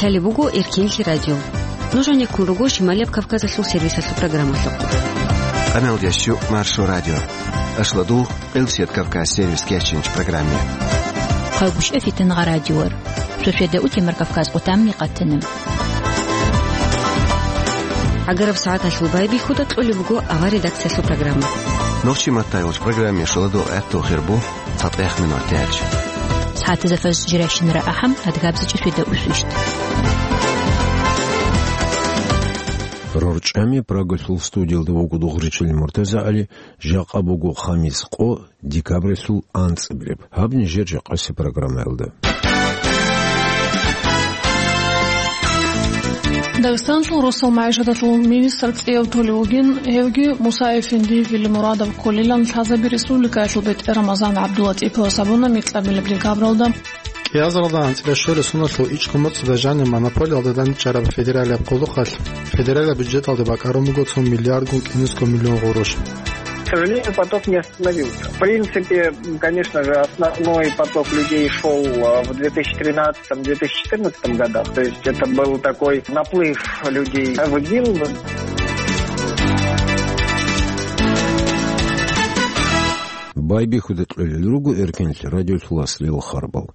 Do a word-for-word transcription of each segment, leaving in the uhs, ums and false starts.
Гьале буго Эркенлъи радио. Нуж гьанеккун руго Шималияб Кавказалъул сервисалъул программалъухъ. Къамел ящу Маршо радио. Ашладул Къилсият Кавказ сервис кечинч программе. Хъалгушев Фитнагъа радиор. Шошеда утемар Кавказ къутамни къатана. Агараб сагӀаталъул байбихьуда кьолеб буго авар редакциялъул программа. Нохчи маттайолч программе шоладо гӀатту хирбу. ЦатӀех минут тяч. Цхьатазафаз жиращинара ахӀам, адгабзичӀи фида усвищт. РорчӀами Прагалъул студиялда вуго Дугъричил МуртазагӀали, жакъа буго хамис къо, декабралъул анцӀабилеб. Гьаб нижер жакъаси программаялда. Дагъистанлъул росал магӀишаталъул министр цӀияб толев вугин, гьевги Муса-эфенди Вилимурадов кколилан лъазаби республикаялъул бетӀер Рамазан ГӀабдуллатӀиповас абуна микьабилеб декабралда. КӀиазаралда анцӀила щолеб соналъул ичӀго моцӀида жаниб монополиялда данчӀараб федералияб къулухъалъ федералияб бюджеталде бакӀарун буго цо миллиардгун кӀинусго миллион гъурущ. К сожалению, поток не остановился. В принципе, конечно же, основной поток людей шёл, а, в две тысячи тринадцатом, две тысячи четырнадцатом годах. То есть это был такой наплыв людей в ИГИЛ. Байбихьуда кьолел руго Эркенлъи радиолъул аслияб харбал.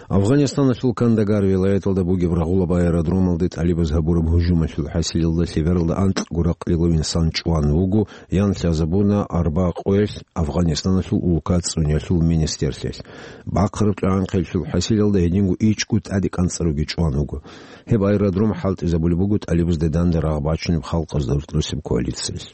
Афгъанистаналъул Кандагар вилаяталда бугеб рагъулаб аэродромалде тӀалибаз гьабураб гьужумалъул хӀасилалда лъебералда анкьго ракълилав инсан чӀван вуго, ян лъазабуна арба къоялъ Афгъанистаналъул улка цӀуниялъул министрлъиялъ. Бахъараб тӀагӀан-хъеллъул хӀасилалда гьединго ичӀго тӀаде кӀанцӀаруги чӀван вуго. Гьеб аэродром хӀалтӀизабулеб буго тӀалибазда данде рагъ бачунеб халкъазда рукьдусеб коалициялъ.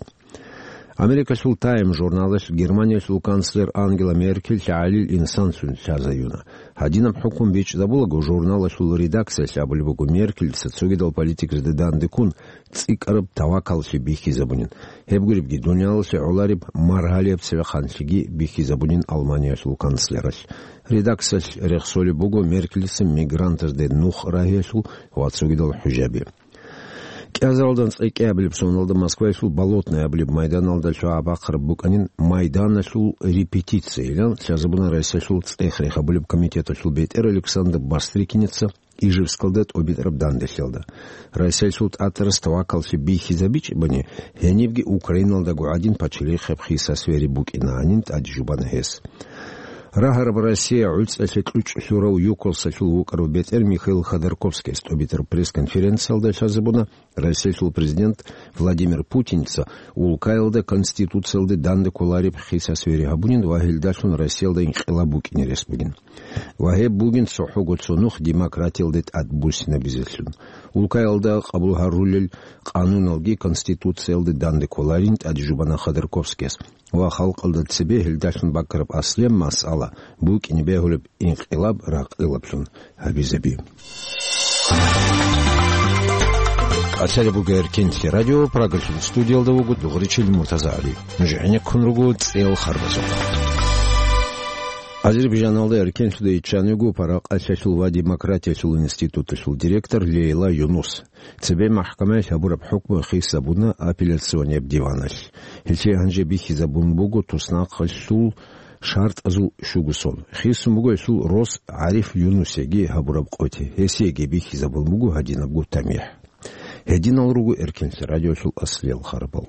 Америкалъул Time журналалъ Германиялъул канцлер Ангела Меркель гӀалил инсанлъун лъазаюна. Гьадинаб хӀукму бичӀчӀизабулаго, журналалъул редакциялъ абулеб буго, Меркельца цогидал политикзда данде ккун цӀикӀкӀараб тавакаллъи бихьизабунин. Гьеб гуребги, дуниялалъе гӀолареб маргьалияб цевеханлъиги бихьизабунин Алманиялъул канцлералъ. Редакциялъ рехсолеб буго Меркельца мигрантазде нух рагьиялъул ва цогидал хӀужаби. КӀиазаралда анцӀила кӀиабилеб соналда Москваялъул Болотное абулеб майданалда лъугӀа-бахъараб букӀанин майданалъул репетицияйилан лъазабуна Россиялъул цӀех рехабулеб комитеталъул бетӀер Александр Бастрыкинца Ижевскалда тӀобитӀараб данделъиялда. Россиялъул тӀатӀарас тавакаллъи бихьизабичӀебани, гьенибги Украиналдаго гӀадин пачалихъаб хиса-свери букӀинанин тӀадежубана гьес. Рагьараб Россия гӀуцӀалъе кьучӀ лъурав ЮКОС-алъул вукӀарав бетӀер Михаил Ходорковскияс тӀобитӀараб пресс-конференциялда лъазабуна Россиялъул президент Владимир Путинца улкаялда конституциялде данде кколареб хиса-свери гьабунин ва гьелдалъун Россиялда инкъилаб букӀине рес бугин. Ва гьеб бугин цохӀого цо нух демократиялде тӀад буссинабизелъун. Улкаялда къабул гьарулел къануналги конституциялде данде кколарин тӀадежубана Ходорковскияс. Ва халкъалда цебе гьелдалъун бакӀараб аслияб масъала букӀине бегьулеб инкъилаб ракълилаблъун гьабизаби. Къачалеб буго Эркенлъи радио, Прагалъул студиялда вуго Дугъричил МуртазагӀали. Нуж гӀенеккун руго цӀел харбазухъ. Азербайжаналда Эркенлъуда иччан вуго Паракъалъиялъул ва демократиялъул институталъул директор Лейла Юнус. Цебе махкамаялъ гьабураб хӀукму хисабуна апелляционияб диваналъ. Гьелъие гьанже бихьизабун буго туснахъалъул шартӀазул щугосон. Хисун буго гьелъул рос ГӀариф Юнусеги гьабураб къоти. Гьесиеги бихьизабун буго гьадинабго тамихӀ. Гьединал руго Эркенлъи радиолъул аслиял харбал.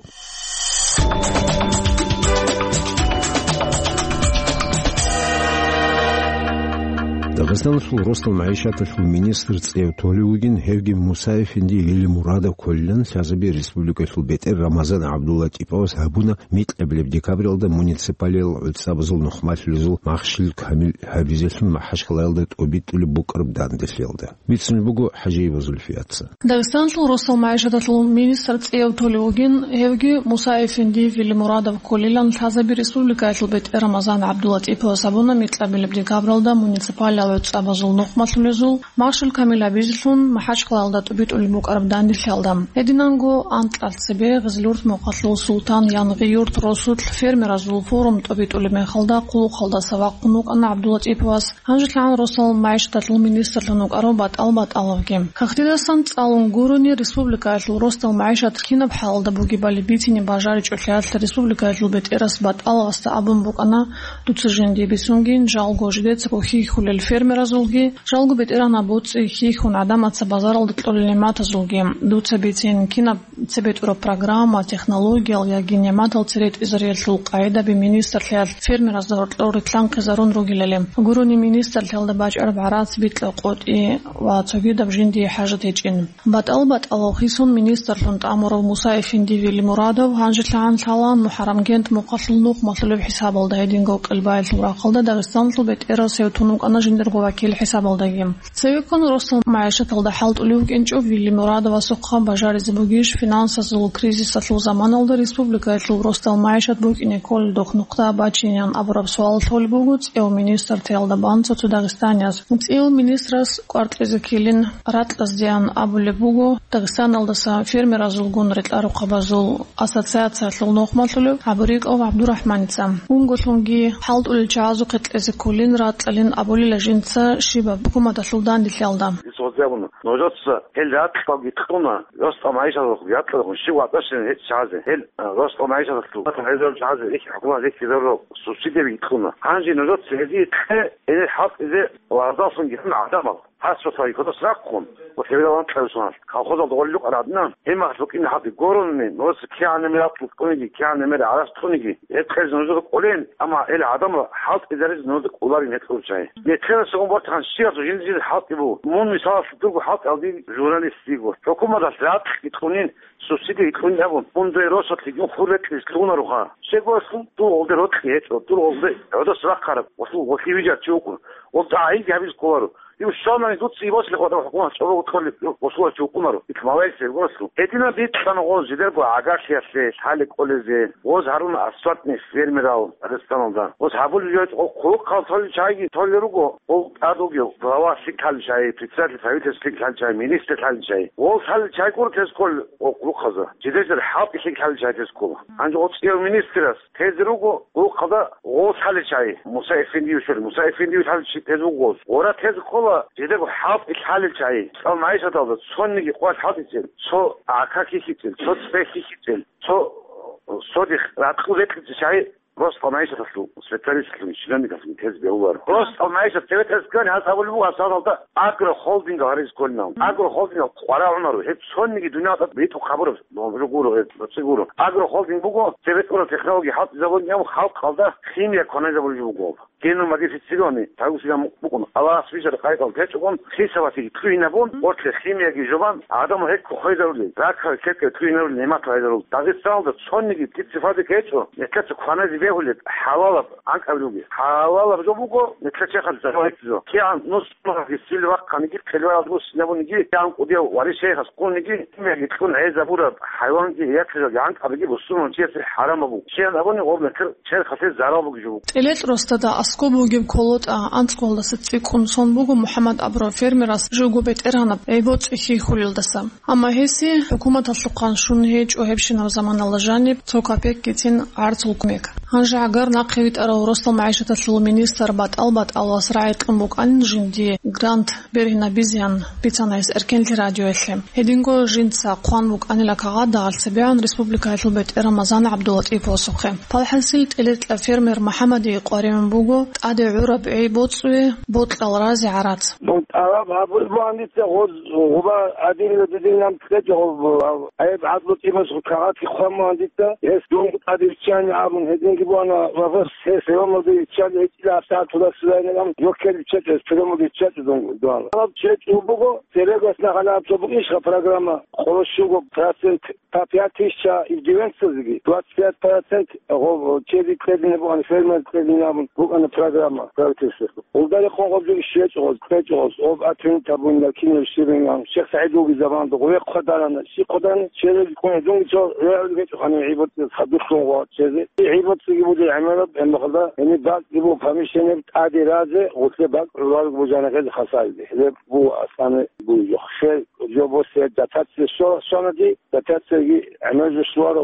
Дагъистаналъул росдал магӀишаталъул министр цӀев толев вугин, гьевги Муса-эфенди Велимурадов кколилан лъазаби республикалъул бетӀер Рамазан ГӀабдуллатӀиповас гьабуна микьабилеб декабралда муниципалиял гӀуцӀабазул нухмалъулезул Махщел Камил гьабизелъун МахӀачхъалаялда тӀобитӀулеб букӀараб данделъиялда. Бицунеб буго ХӀажиева Зульфияца. Дагъистанлъул росал магӀишаталъул министр цӀияв толев вугин, гьевги Муса-эфенди Велимурадов кколилан лъазаби республикаялъул бетӀер Рамазан ГӀабдуллатӀиповас абуна микьабилеб декабралда муниципалиял гӀуцӀабазул нухмалъулезул Махщел Камил гьабизелъун МахӀачхъалаялда тӀубитӀулеб букӀараб данделъиялда. Гьединанго анкьал цебе Гъизлурт мухъалъул Султан Янгъиюрт росулъ фермеразул форум тӀубитӀулеб мехалда хъулухъалдаса вахъун вукӀана ГӀабдуллатӀиповас. ГьанжелъагӀан росал магӀишаталъул министрлъун вукӀарав БатӀал БатӀаловги. Хахтидасан цӀалун гурони, республикаялъул росдал магӀишат кинаб хӀалалда бугебали бицине бажаричӀолъиялъ республикаялъул бетӀерас БатӀаловасда абун букӀана, дуца жинди бицунгин, жалго жидеца кохи хьулел фермеразулги, жалго бетӀергьанаб боцӀи хьихьун гӀадамаца базаралда кьолел нигӀматазулги. Дуца бицин, кинаб цебетӀураб программа, технологиял яги нигӀматал цере тӀизариялъул къагӀидаби министрлъиялъ фермеразда гьоркьор рилълъанхъизарун ругелали. Гурони министрлъиялда бачӀараб гӀарац, бикьа-къотӀи ва цогидаб жиндие хӀажат гьечӀин. БатӀал-батӀалал хисун министрлъун тӀамурав Муса-эфенди Велимурадов гьанжелъагӀан лъалаан МухӀаррамгент мухъалъул нухмалъулеб хӀисабалда, гьединго Къелбаялъул рахъалда Дагъистаналъул бетӀерасев тун вукӀана жиндирго вакил хӀисабалдаги. Цевеккун росдал магӀишаталда хӀалтӀулев вукӀинчӀо Велимурадовасухъа бажаризе бугищ финансазул кризисалъул заманалда республикаялъул росдал магӀишат букӀине кколелдухъ нухда бачинеян абураб суал лъолеб буго цӀев министртиялда бан цо-цо дагъистанияз. ЦӀив министрас кӀвар кьезе ккелин ракьаздеян абулеб буго Дагъистаналдаса фермеразулгун рекьарухъабазул ассоциациялъул нухмалъулев ГӀабурикӀов ГӀабдурахӀманица. Унголъунги хӀалтӀулел чагӀазухъе кьезе кколин ракьалин абулила жинца щибаб хӀукуматалъул данделъиялда. Нужеца гьел ракьалги кьуна, росдал магӀишаталъул ракьалдехун щив ватӀашин гьечӀ чагӀазе, гьел, э, росдал магӀишаталъул гьезул чагӀазе, их хӀукумат, их гьезул субсидияги кьуна. Гьанже нужеца гьезие кье, гьенир хӀалтӀизе ва гьаздалъунги гьанна гӀадамал. Гьас цо цоги кодас рахъун, ва хевирал анкьабилеб соналъ, колхозалда гъолел рукъа радна, гьеб мехалъ букӀине хӀалтӀи гурони, нужеца кигӀан мер ракьул кьуниги, кигӀан мер гӀарац кьуниги, гьеб кьезе нужеда кӀолин, амма гьел гӀадамал хӀалтӀизаризе нужеда кӀоларин гьечӀо чагӀи. Нилъеда согун бортахан щиясул жинди-жинди хӀалтӀи буго. Мун, мисалалъе, дурго хӀалтӀи гьалди журналист йиго. ХӀукуматалъ ракьги кьунин, субсидиги кьунин абун, мун дуе росулъ гьедин хур рекьизе лъугьунароха. Щегоялъул дур гъолде рокьи гьечӀо, дур гъолде гӀодос рахъараб, гъолъул гъолъи вижар чи вукӀун, гъолда гӀайибги гьабизе кколаро. Ив щвалани дуца ибоцӀилъи хватӀа хӀукумат чӀобого толеб, босуларчи вукӀунаро, ил маваил сергослъу. Гьединаб бикьана гъоз жидерго гӀагарлъиялъе лъалеб кӀолезе, гъоз гьаруна асфальтный фермерал Дагъистаналда. Гъоз гьабулеб жо гъо хъулухъал толел чагӀиги толел руго, гъол тӀад вугев глава лъикӀ лъалел чагӀи, председатель правительства лъикӀ лъалел чагӀи, министр лъалел чагӀи. Гъол лъалел чагӀи гуро тез ккол гъо хъулухъаза. Жидер-жидер хӀалтӀи лъикӀ лъалел чагӀи тез ккола. Гьанже гъо цӀияв министрас тезе руго гъулухъалда гъол лъалел чагӀи. Муса-эфендиев щолел, Муса-эфендиев лъалел чи тезе вуго гъоз. Гъора тезе ккола жидерго хӀалтӀи лъалел чагӀи. Цал магӀишаталда цониги къвалъ хӀалтӀицел, цо гӀака хьихьицел, цо цӀе хьихьицел, цо содихъ ракьул рекьице чагӀи росдал магӀишаталъул специалистлъун, чиновникалъун тезе бегьуларо. Росдал магӀишат цебетӀерас ккани гьас абулеб буго, гьас гьалда агрохолдингал гьаризе кколин абун. Агрохолдингал къварагӀунаро, гьеб цониги дуниялда битӀухъ гьабураб гуро, гьеб боцӀи гуро. Агрохолдинг буго цебетӀурал технологи хӀалтӀизабулин абун халкъалда химия кваназабулеб буго. Генномодифицированный, тавусилан букӀун, Аллагьас бижараб къайдал гьечӀогун, хисабалъги кьугьинабун, гъорлъе химияги жубан, гӀадамал гьекко хвезарулел, ракаби кепкеби кьугьинарулел нигӀматал гьезарул. Дагъистаналда цониги птицефабрика гьечӀо, нилъеца кваназе бегьулеб хӀалалаб анкьабилебги. ХӀалалаб жо буго нилъер черхалъе зарал гьечӀо. КигӀан нус сунагьги сил вахъаниги, хъилбаялда буссинабуниги, кигӀан кӀудияв варишайихъас ккуниги, химияги кьун гӀезабураб хӀайванги яхъизарги анкьабиги бусурманчиясе хӀарамаб буго. Щайин абуни гъоб нилъер черхалъе зарал бугеб жо буго. ТӀелетӀ росдада аскӀоб бугеб КолотӀа анцӀгоялдаса цӀикӀкӀун сон буго МухӀаммад абурав фермерас живго бетӀергьанаб гӀи-боцӀи хьихьулелдаса. Амма гьесие хӀукуматалъухъан щун гьечӀо гьебщинаб заманалда жаниб цо капекгицин гӀарцул кумек. Гьанже гӀагар нахъе витӀарав росдал магӀишаталъул министр батӀал-батӀалас рагӀи кьун букӀанин жиндие грант бергьинабизеян бицана гьес Эркенлъи радиоялъе. Гьединго жинца хъван букӀанила кагъат дагьал цебегӀан республикаялъул бетӀер Рамазан ГӀабдулатӀиповасухъе. ПалхӀасил тӀелетӀла фермер МухӀаммадие къваригӀун буго тӀаде гӀураб гӀи-боцӀуе бокьал разе гӀарац. Дун тӀалаб гьабулеб бугӀан дица гъоз гъуба гӀадинила дидинилан кьечӀо гъоб гьаб гӀайиб гӀадлу тӀимас кагъатги хъван бугӀан дица, гьес дун тӀаде виччани абун гьединги бугӀана ва гъос гьес гӀумруде виччали гьечӀила гьабсагӀат туласилайилан йоккел виччачӀес, приёмалде виччачӀо дун дугьал. Гьаб чечӀо буго, церегас нахъа гьаб цо букӀинищха программа, къоло щуго процент, по пять тысяч иждивенцазеги, двадцать пять процент гъо-, чеди кьедине бугӀан, фермер кьедине абун букӀана программа правительствоялъул. Гъолдарихъун гъоб жо иш гьечӀо гъоз, кьечӀо гъоз, гъоб атинитабунила кинаб щибин абун, Шихсагьид вугеб заманалда гъове хъвадарана, щи хъвадарана, череги ккун гьедунги цо регӀулги гьечӀо ханив гӀибоцӀиялъ хадурлъун гъо чезе. ГӀибоцӀиги буго гӀемераб, гьебмехалда, гьениб бакӀги буго помещение тӀаде разе, гъуслъе бакӀ гӀуралги бужана гъез. хасалде. Хлеб бу асани бу йохше, жо бо се дотация со-, сонади, дотацияги гӀемер жо швара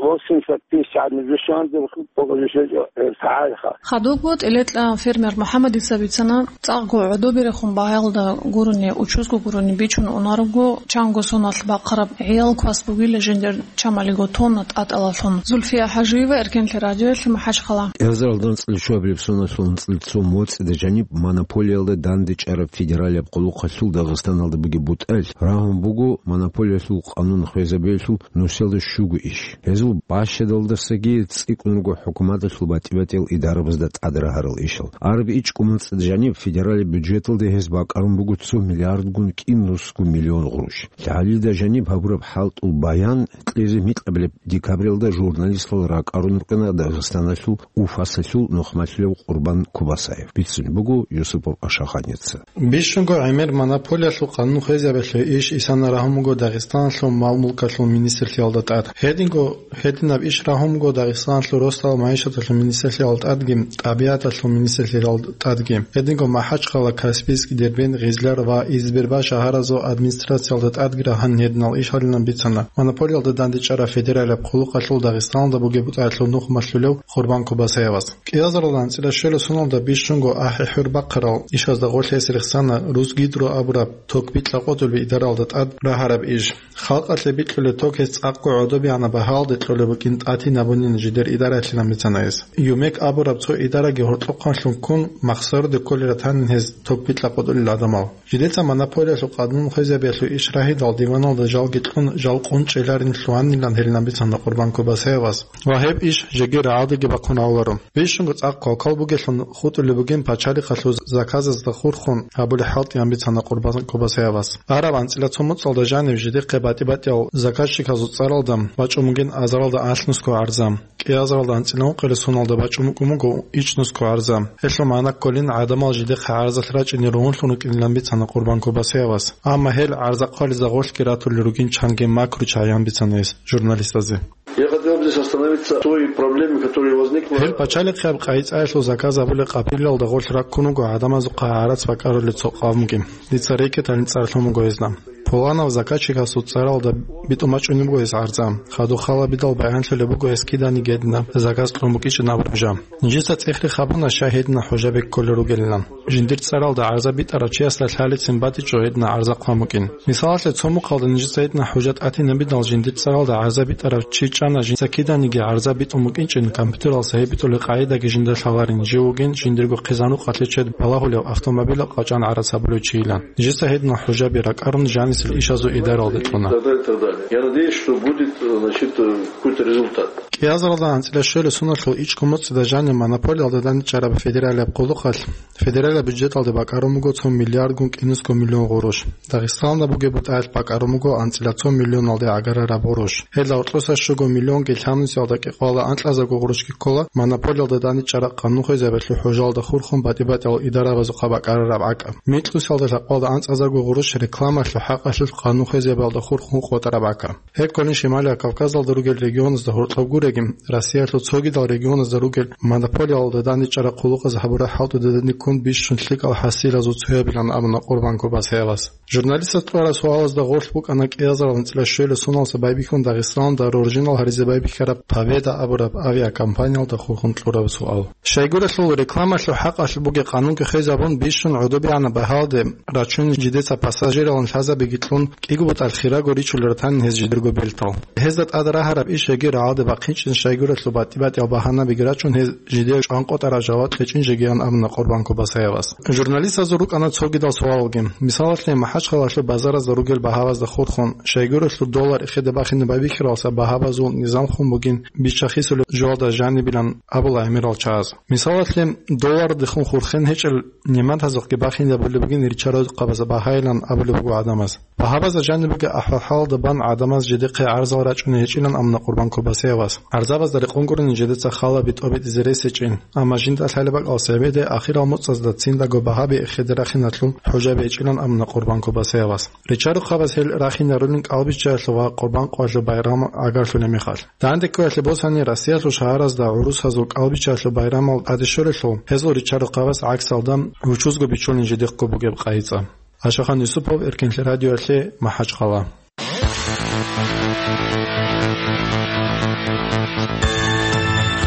восемьдесят тысяч гӀадин жо шванде, бу-, бу-, жо шве-, жо, э, сагӀайха. Хадубго тӀилетӀа фермер МухӀаммадица бицана, цӀакъго гӀодоберехун багьаялда гурони, учузго гурони бичун унарого, чанго соналъ бахъараб гӀиял квас бугила жиндир чамалиго тонна тӀатӀалалъун. Зульфия ХӀажиева, Эркенлъи радиоялъе, МахӀачхъала. КӀиазаралда анцӀила щуабилеб соналъул анцӀила цо моцӀида жаниб монополиялда дандечӀараб федералияб къулухъалъул Дагъистаналда бугеб бутӀал рагьун буго монополиялъул къанун хвезабиялъул нусиялда щуго иш. Гьезул бащадалдасаги цӀикӀкӀун руго хӀукуматалъул батӀи-батӀиял идарабазда тӀад рагьарал ишал. Араб ичӀго моцӀида жаниб федералияб бюджеталда гьез бакӀарун буго цо миллиардгун кӀинусго миллион гъурущ. ЛъагӀалида жаниб гьабураб хӀалтӀул баян кьезе микьабилеб декабралда журналистал ракӀарун рукӀана Дагъистаналъул Уфасалъул нухмалъулев Къурбан Кубасаев. Бицунеб буго Юсупов Ашаханица. Бищунго гӀемер монополиялъул къанун хвезабиялъул иш исана рагьун буго Дагъистаналъул мал-мулкалъул министрлъиялда тӀад. Гьединго, гьединаб иш рагьун буго Дагъистаналъул росдал магӀишаталъул министрлъиялда тӀадги, тӀабигӀаталъул министрлъиялда тӀадги. Гьединго МахӀачхъала, Каспийск, Дербент, Гъизлар ва Избербаш шагьаразул администрациялда тӀадги рагьанин гьединал иш гьарилан бицана монополиялда дандечӀараб федералияб къулухъалъул Дагъистаналда бугеб бутӀаялъул нухмалъулев Къурбан Кубасаевас. КӀиазаралда анцӀила щуабилеб соналда бищунго ахӀи-хӀур бахъарал ишазда гъорлъ гьес рехсана Русгидро абураб ток бикьа-къотӀулеб идаралда тӀад рагьараб иш. Халкъалъе бикьулеб ток гьес цӀакъго гӀодобегӀанаб багьалде кьолеб букӀин тӀатинабунин жидер идараялъилан бицана гьес. ЮМЭК абураб цо идараги гьоркьохъанлъун ккун, махсаруде кколел ратанин гьез ток бикьа-къотӀулел гӀадамал. Жидеца монополиялъул къанун хвезабиялъул иш рагьидал диваналда жалги кьун, жал къунчӀеларин лъугьанилан гьелилан бицана Къурбан Кубасаевас. Ва гьеб иш жеги рагӀалдаги бахъун гьавуларо. Бищунго цӀакъ гьалкал бугелъун хутӀулеб бугин пачалихъалъул заказазда хурхун гьабулеб хӀалтӀиян бицана Къурбан Кубасаевас. Араб анцӀила цо моцӀалда жанив жидехъе батӀи-батӀиял заказчиказул цӀаралда бачӀун бугин азаралда алънусго гӀарза. КӀиазаралда анцӀила ункъилеб соналда бачӀун букӀун буго ичӀнусго гӀарза. Гьелъул магӀна кколин гӀадамал жидехъе гӀарзалъ рачӀине ругьунлъун рукӀинилан бицана Къурбан Кубасаевас. Амма гьел гӀарзахъвализе гъорлъги ратулел ругин чанги макру чагӀиян бицана гьес журналистазе. Я хотел бы здесь остановиться на той проблеме, которая возникла. Гьел пачалихъе гьаб къайи-цӀаялъул заказ гьабулеб къабилалда гъорлъ раккун вуго гӀадамазухъа гӀарац бакӀарулеб цо къавмги. Дица рекеталин цӀар лъун буго гьезда. Пуланав заказчикасул цӀаралда битӀун бачӀунеб буго гьес гӀарза. Хадуб халабидал баянлъулеб буго гьес киданиги гьединаб заказ кьун букӀинчӀин абураб жо. Нижеца цӀехере хабуна, щай гьединал хӀужаби кколел ругелилан. Жиндир цӀаралда гӀарза битӀарав чиясда лъалецин батичӀо гьединал гӀарза хъван букӀин. Мисалалъе, цо мухъалда нижеца гьединал хӀужа тӀатинабидал жиндир цӀаралда гӀарза битӀарав чи чӀана, жинца киданиги гӀарза битӀун букӀинчӀин, компьютералдаса гьеб битӀулеб къагӀидаги жинда лъаларин, жив вугин жиндирго хъизан-рукъалъе чед балагьулев автомобилал къачӀан гӀарац гьабулев чийилан. Нижеца гьединал хӀужаби ракӀарун жанисел ишазул идаралде кьуна. Так далее, так далее. Я надеюсь, что будет, значит, какой-то результат. КӀиазаралда анцӀила щуабилеб соналъул ичӀго моцӀида жанив монополиялда дандчӀараб федералияб къулухъалъ федералияб бюджеталде бакӀарун буго цо миллиардгун кӀинусго миллион гъурущ. Дагъистаналда бугеб бутӀаялъ бакӀарун буго анцӀила цо миллионалде гӀагарараб гъурущ. Гьелда гьоркьоса щуго миллионги лъабнусиялда кӀикъоялда анкьазарго гъурущги ккола монополиялда дандчӀараб къанун хвезабиялъул хӀужалда хурхун батӀи-батӀиял идарабазухъа бакӀарараб гӀакӀаб. Микьнусиялда лъабкъоялда анцӀазарго гъурущ рекламалъул хӀакъалъулъ къанун хвезабиялда хурхун къотӀараб гӀакӀаб. Гьеб кколин Шималияб Кавказалда ругел регионазда гьоркьоб гуреги, Россиялъул цогидал регионазда ругел монополиялда дандчӀараб къулухъаз гьабураб хӀалтӀудедани ккун бищун лъикӀал хӀасилазул цоябилан абуна Къурбан Кубасаевас. Журналистаз кьураб суалазда гъорлъ букӀана кӀиазаралда анцӀила щуабилеб соналдаса байбихьун Дагъистаналда роржинал гьаризе байбихьараб Победа абураб авиакомпаниялда хурхун кьураб суал. Щайгурелъул рекламалъул хӀакъалъулъ бугеб къанунги хвезабун бищун гӀодобегӀанаб багьалде рачун жидеца пассажиралин лъазабиги кьун, кӀиго бутӀал хираго ричулел ратанин гьез жидерго бертал. Гьезда тӀад рагьараб иш жеги рагӀалде бахъинчӀин щайгурелъул батӀи-батӀиял багьанабиги рачун гьез жидее чӀван къотӀараб жаваб кьечӀин жегиян абуна Къурбан Кубасаевас. Журналистазул рукӀана цогидал суалалги. Мисалалъе, МахӀачхъалалъул базаразда ругел багьабазда хурхун, щайгурелъул доллар эхеде бахине байбихьаралдаса багьабазул низам хун бугин биччахисулеб жоялда жанибилан абула гӀемерал чагӀаз. Мисалалъе, доллардехун хурхен гьечӀел нематазухъги бахинабулеб бугин ричарал къабаза багьайилан абулеб буго гӀадамаз. Багьабазда жанибеги ахӀвал-хӀалалда бан гӀадамаз жидехъе гӀарзал рачӀуней гьечӀилан амна Къурбан Кобасиявас. ГӀарзабазда рекъон гурони жидеца хала битӀо-битӀизе рес гьечӀин, амма жинда лъалеб бакӀалъ цебеде ахирал моцӀазда циндаго багьаби эхеде рахиналъул хӀужаби гьечӀилан амна Къурбан Кобасиявас. Ричарухъабаз гьел рахинарулин кӀалбиччаялъул ва Къурбан къоялъул байрам агарлъулеб мехалъ. Данде ккоялъе босани, Россиялъул шагьаразда гӀурусазул кӀалбиччаялъул байрамал тӀаде щолелъул, гьезул ричарухъабаз гӀаксалда гьучузго бичулин жидехъго бугеб къайи цӀа. Ашахан Юсупов, Эркенлъи радиоялъе, МахӀачхъала.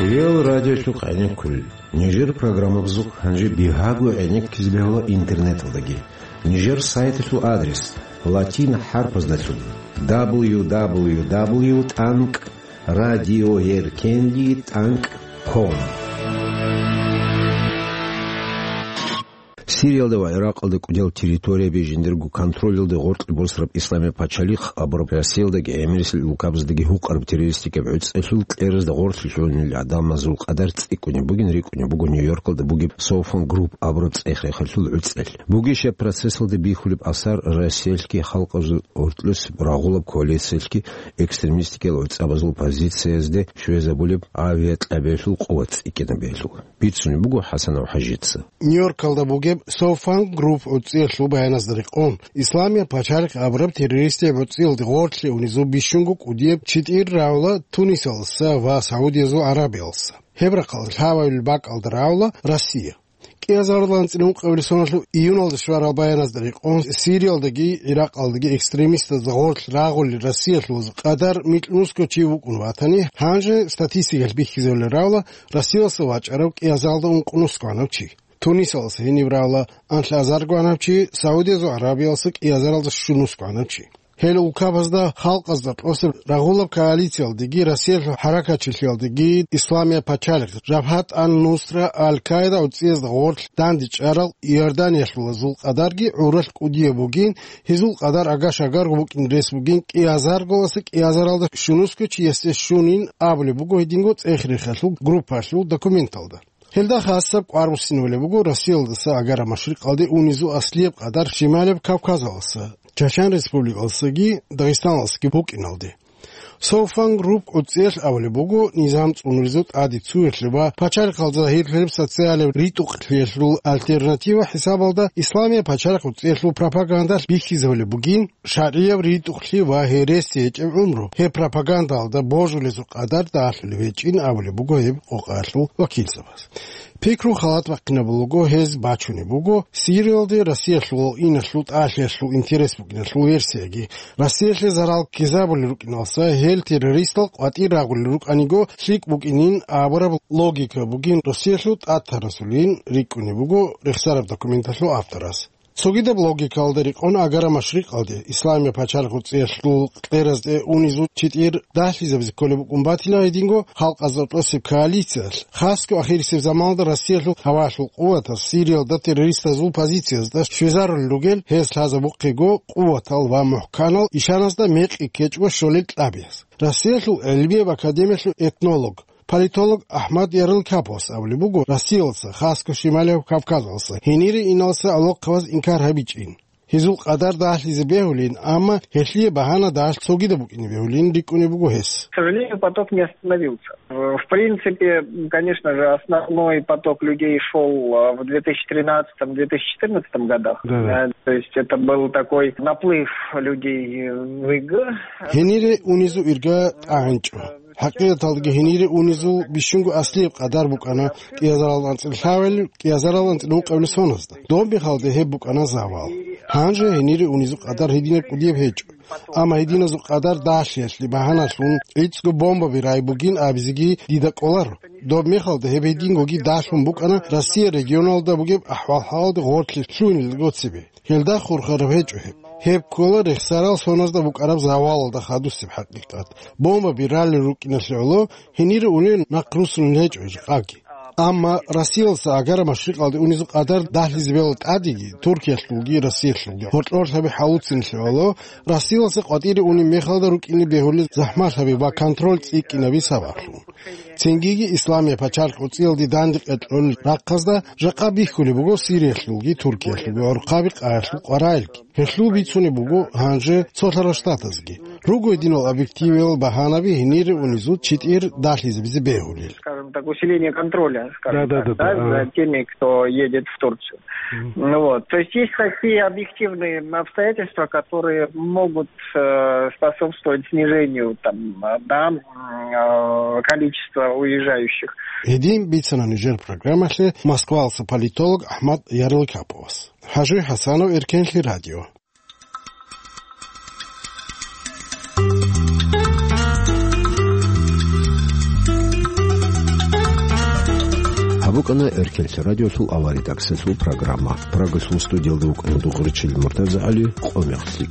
Реал радиолъухъ гӀенеккулел. Нижер программабазухъ гьанже бигьаго гӀенеккизе бегьула интернеталдаги. Нижер сайталъул адрес латин хӀарпаздалъун: дабл ю дабл ю дабл ю тӀанкӀ радиоеркенлъи тӀанкӀ ком. Сириялда ва Иракъалда кӀудиял территорияби жиндирго контролалде гъоркье босараб Исламияб пачалихъ абураб Россиялдаги гӀемерисел улкабаздаги гьукъараб террористикаб гӀуцӀиялъул кьеразда гъорлъе лъугьунел гӀадамазул къадар цӀикӀкӀунеб бугин рикӀкӀунеб буго Нью-Йоркалда бугеб Соуфан Групп абураб цӀех-рехалъул гӀуцӀиялъ. Бугищ гьеб процессалда бихьулеб асар Россиялъги халкъазул гьоркьоса рагъулаб коалициялъги экстремистикиял гӀуцӀабазул позициязде щвезабулеб авиакьабиялъул къуват цӀикӀкӀинабиялъул? Бицунеб буго ХӀасанов ХӀажица. Нью-Йоркалда бугеб Соуфан Групп гӀуцӀиялъул баяназда рекъон, Исламияб пачалихъ абураб террористияб гӀуцӀиялде гъорлъе унезул бищунго кӀудияб читӀир рагӀула Тунисалдаса ва Саудиязул ГӀарабиялдаса. Гьеб рахъалда лъабабилеб бакӀалда рагӀула Россия. КӀиазарилан анцӀила ункъабилеб соналъул июналда щварал баяназда рекъон, Сириялдаги Иракъалдаги экстремистазда гъорлъ рагъулел Россиялъулаз къадар микьнусго чи вукӀун ватани, гьанже статистикалъ бихьизабулеб рагӀула Россиялдаса вачӀарав кӀиазаралда ункънусго гьанав чи. Тунисалдаса гьениб рагӀула анлъазарго гьанав чи, Саудиязул ГӀарабиялдаса кӀиазаралда щунусго гьанав чи. Гьел улкабазда халкъазда тӀоцеб рагъулаб коалициялдеги, Россиялъул хӀаракатчилъиялдеги, Исламияб пачалихъ, Жабгьат ан-Нусра, Аль-Каида гӀуцӀиязда гъорлъ дандечӀарал Иорданиялъулазул къадарги гӀуралъ кӀудияб бугин, гьезул къадар агаш-агарго букӀин рес бугин, кӀиазарголаса кӀиазаралда щунусго чиясде щунин абулеб буго гьединго цӀех-рехалъул группалъул документалда. Гьелда хасаб кӀвар буссинабулеб буго Россиялдаса Агара Машрикъалде унезул аслияб къадар Шималияб Кавказалдаса, Чачан Республикалдасаги Дагъистаналдасаги букӀиналде. Соуфан Групп гӀуцӀиялъ абулеб буго низам цӀунуризул тӀаде цуялъе ва пачалихъалда загьирлъараб социалияб ритӀухълъиялъул альтернатива хӀисабалда Исламияб пачалихъ гӀуцӀиялъул пропагандалъ бихьизабулеб бугин, шаргӀияб ритӀухълъи ва гьереси гьечӀеб гӀумру, гьеб пропагандалда божулезул къадар далъулеб гьечӀин абулеб буго гьеб къокъаялъул вакилзабаз. Пикру халат бахъинабулего, гьез бачунеб буго Сириялде Россиялъул иналъул тӀалъиялъул интерес букӀиналъул версияги. Россиялъе зарал ккезабулел рукӀиналса гьел террористал къватӀир рагъулел рукӀаниго лъикӀ букӀинин абураб логика бугин Россиялъул тӀатарасулин рикӀкӀунеб буго рехсараб документалъул авторас. Цогидаб логикалда рекъон Агара Машрикъалде, Исламияб пачалихъ гӀуцӀиялъул кьеразде унезул читӀир далъизабизе кколеб букӀун батила гьединго халкъазда тӀосеб коалициялъ, хасго ахирисеб заманалда Россиялъул гьавалъул къуватаз Сириялда террористазул позициязда щвезарулел ругел гьез лъазабухъего къуватал ва мухӀканал ишаназда мекъи ккечӀого щолел кьабияз. Россиялъул гӀелмияб академиялъул этнолог, политолог Ахмад Ярлыкапов абулеб буго Россиялдаса, хасго Шималияб Кавказалдаса, гьенире иналса алохъабаз инкар гьабичӀин. Гьезул къадар далъизе бегьулин, амма гьелъие багьана далъ цогидаб букӀине бегьулин рикӀкӀунеб буго гьес. К сожалению, поток не остановился. В принципе, конечно же, основной поток людей шёл, а, в две тысячи тринадцатом, две тысячи четырнадцатом годах. Да, да. Э, то есть это был такой наплыв людей в ИГ. Гьенире унезул ирга тӀагӀинчӀо. ХӀакъикъаталдаги гьенире унезул бищунго аслияб къадар букӀана кӀиазарал анцӀила лъабабилеб, кӀиазарал анцӀила ункъабилеб соназда. Доб мехалда гьеб букӀана завал. Гьанже гьенире унезул къадар гьединаб кӀудияб гьечӀо. Амма гьединазул къадар далъиялъе багьаналъун гӀицӀго бомбаби рай бугин абизеги дида кӀоларо. Доб мехалда гьеб гьедингоги далъун букӀана Россия регионалда бугеб ахӀвал-хӀалалде гъорлъе лъугьинелго цебе. Гьелда хурхараб гьечӀо гьеб. Гьеб ккола рехсарал соназда букӀараб завалалда хадусеб хӀакъикъат. Бомбаби ралел рукӀиналъе гӀоло гьенире унел нахърусулел гьечӀо жакъаги. Амма Россиялдаса Агара машрикъалде унезул къадар дагьлъизе бегьула тӀадеги, Туркиялъулги Россиялъулги гьоркьор лъаби гьавуцин лъугьала, Россиялдаса къватӀире унеб мехалда рукӀине бегьулел захӀмалъаби ва контроль цӀикӀкӀинаби сабаблъун. Цингиги Исламияб пачалихъ гӀуцӀиялде дандекъе кьолел рахъазда жакъа бихьулеб буго Сириялъулги Туркиялъулги гӀурхъаби къаялъул къваригӀелги. Гьелъул бицунеб буго гьанже цолъарал штатазги. Руго гьединал объективиял багьанаби гьенире унезул читӀир дагьлъизабизе бегьулел. Скажем так, усиление контроля, скажем Да, да, так, да, да, да, ага. за теми, кто едет в Турцию. Мгм. Ну вот. То есть есть такие объективные обстоятельства, которые могут, э, способствовать снижению там, э, да, м, э, количества уезжающих. Гьедин бицана нижер программалъе Москвалса политолог Ахмад Ярлыкаповас. Хажи Хасанов, Эркенлъи радио. Гьаб букӀана Эркенлъи радиолъул авария таксилъул программа. Прагасул студиялда вукӀана Дугъричил МуртазагӀали, къо мехлъи.